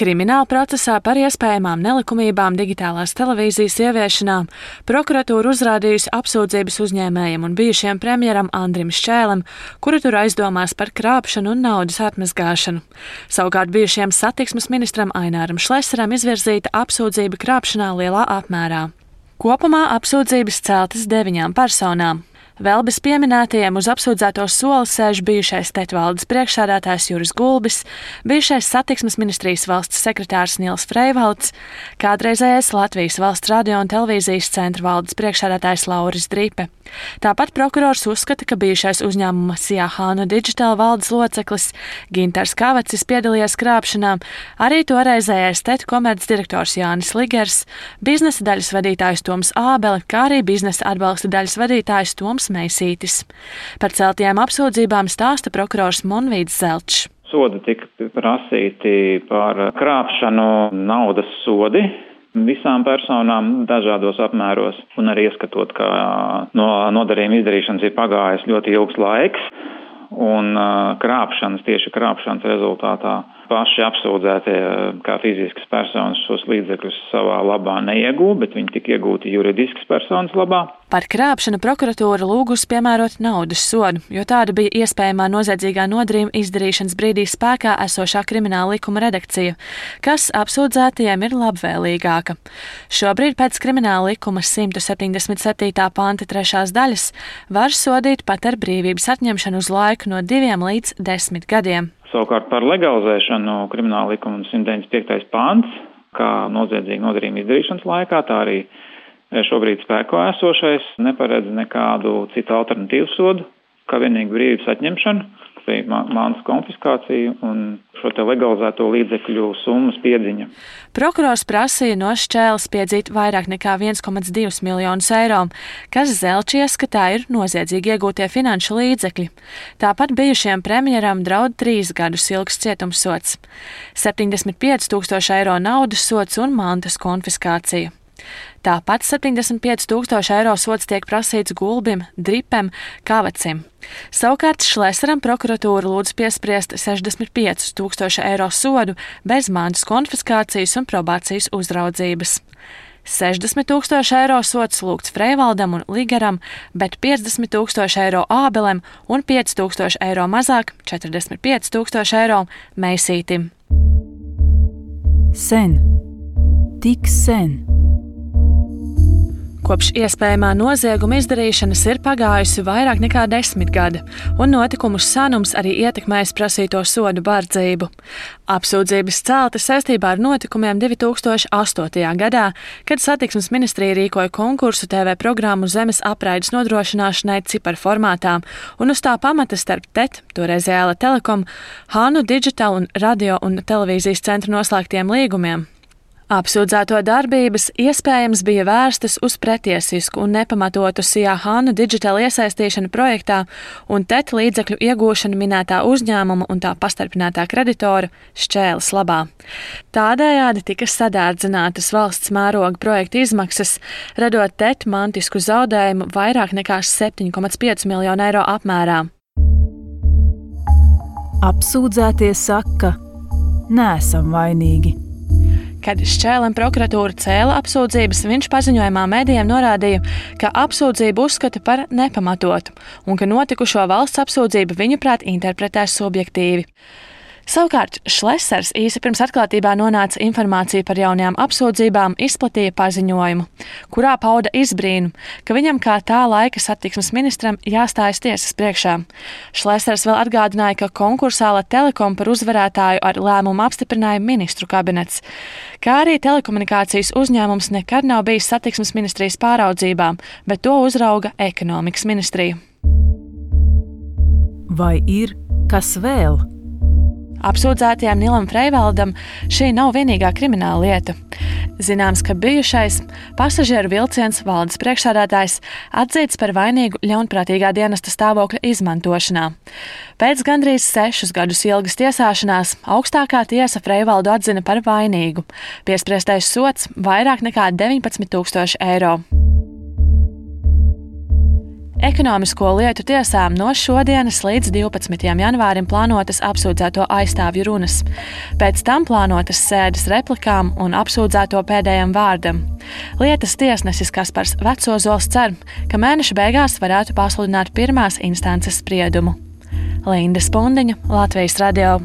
Krimināla procesā par iespējamām nelikumībām digitālās televīzijas ieviešanā prokuratūra uzrādījusi apsūdzības uzņēmējiem un bijušajam premjeram Andrim Šķēlim, kuru tur aizdomās par krāpšanu un naudas atmazgāšanu. Savukārt bijušajam satiksmes ministram Aināram Šlesaram izvirzīta apsūdzība krāpšanā lielā apmērā. Kopumā apsūdzības celtas 9 personām. Vēl bez pieminētajiem uz apsūdzēto soli sēž bijušais TET valdes priekšsēdētājs Juris Gulbis, bijušais satiksmes ministrijas valsts sekretārs Nils Freivalds, kādreizējais Latvijas valsts radio un televīzijas centra valdes priekšsēdētājs Lauris Dripe. Tāpat prokurors uzskata, ka bijušais uzņēmuma SIA Hānu Digital valdes loceklis Gintars Kavacis piedalījās krāpšanā, arī toreizējais TET komercdirektors Jānis Ligers, biznesa daļas vadītājs Toms Ābele, kā arī biznesa atbalsta daļas vadītājs Toms Meisītis. Par celtajām apsūdzībām stāsta prokurors Monvīds Zelčs. Sodi tika prasīti par krāpšanu, naudas sodi visām personām dažādos apmēros, un arī ieskatot, ka no nodarījuma izdarīšanas ir pagājis ļoti ilgs laiks, un tieši krāpšanas rezultātā paši apsūdzētie kā fiziskas personas šos līdzekļus savā labā neiegūta, bet viņi tika iegūti juridiskas personas labā. Par krāpšanu prokuratūra lūgusi piemērot naudas sodu, jo tāda bija iespējamā noziedzīgā nodarījuma izdarīšanas brīdī spēkā esošā krimināla likuma redakcija, kas apsūdzētajiem ir labvēlīgāka. Šobrīd pēc krimināla likuma 177. panta 3. daļas var sodīt pat ar brīvības atņemšanu uz laiku no 2 līdz 10 gadiem. Savukārt par legalizēšanu krimināla likuma 195. pants, kā noziedzīga nodarījuma izdarīšanas laikā, tā arī šobrīd spēkā esošais neparedz nekādu citu alternatīvu sodu, kā vienīgi brīvības atņemšanu, mantas konfiskāciju un šo te legalizēto līdzekļu summas piedziņa. Prokurors prasīja no Šķēles piedzīt vairāk nekā 1,2 miljonus eiro, kas Zelčs ieskatā ir noziedzīgi iegūtie finanšu līdzekļi. Tāpat bijušajam premjeram draud 3 gadus ilgs cietumsods, 75,000 eiro naudas sods un mantas konfiskācija. Tāpat 75,000 eiro sods tiek prasīts Gulbim, Dripem, Kavacim. Savukārt Šlesaram prokuratūra lūdz piespriest 65,000 eiro sodu bez mantas konfiskācijas un probācijas uzraudzības. 60,000 eiro sods lūgts Freivaldam un Ligeram, bet 50,000 eiro Ābelem un 5,000 eiro mazāk, 45,000 eiro Meisītim. Sen. Tik sen. Kopš iespējamā nozieguma izdarīšanas ir pagājusi vairāk nekā 10 gadi, un notikumu senums arī ietekmējis prasīto sodu bardzību. Apsūdzības celtas saistībā ar notikumiem 2008. gadā, kad satiksmes ministrija rīkoja konkursu TV programmu zemes apraides nodrošināšanai ciparformātā, un uz tā pamata starp TET, toreizējā Telekom, Hānu Digital un radio un televīzijas centru noslēgtiem līgumiem. Apsūdzēto darbības iespējams bija vērstas uz pretiesisku un nepamatotu SIA Hānu Digital iesaistīšanu projektā un TET līdzekļu iegūšanu minētā uzņēmuma un tā pastarpinātā kreditora Šķēles labā. Tādējādi tika sadārdzinātas valsts mēroga projekta izmaksas, radot TET mantisku zaudējumu vairāk nekā 7,5 miljonu eiro apmērā. Apsūdzētie saka, neesam vainīgi. Kad Šķēlim prokuratūra cēla apsūdzības, viņš paziņojumā medijiem norādīja, ka apsūdzību uzskata par nepamatotu un ka notikušo valsts apsūdzību viņuprāt interpretē subjektīvi. Savukārt Šlesars īsi pirms atklātībā nonāca informācija par jaunajām apsūdzībām, izplatīja paziņojumu, kurā pauda izbrīnu, ka viņam kā tā laika satiksmes ministram jāstājas tiesas priekšā. Šlesars vēl atgādināja, ka konkursā Telekom par uzvarētāju ar lēmumu apstiprināja ministru kabinets, kā arī telekomunikācijas uzņēmums nekad nav bijis satiksmes ministrijas pāraudzībā, bet to uzrauga ekonomikas ministrija. Vai ir kas vēl? Apsūdzētajam Nilam Freivaldam šī nav vienīgā krimināla lieta. Zināms, ka bijušais pasažieru vilciens valdes priekšsēdētājs atzīts par vainīgu ļaunprātīgā dienesta stāvokļa izmantošanā. Pēc gandrīz 6 gadus ilgas tiesāšanās augstākā tiesa Freivaldu atzina par vainīgu. Piespriestais sods vairāk nekā 19,000 eiro. Ekonomisko lietu tiesām no šodienas līdz 12. janvārim plānotas apsūdzēto aizstāvju runas. Pēc tam plānotas sēdes replikām un apsūdzēto pēdējam vārdam. Lietas tiesnesis Kaspars Vecozols cer, ka mēneša beigās varētu pasludināt pirmās instances spriedumu. Linda Spundiņa, Latvijas radio.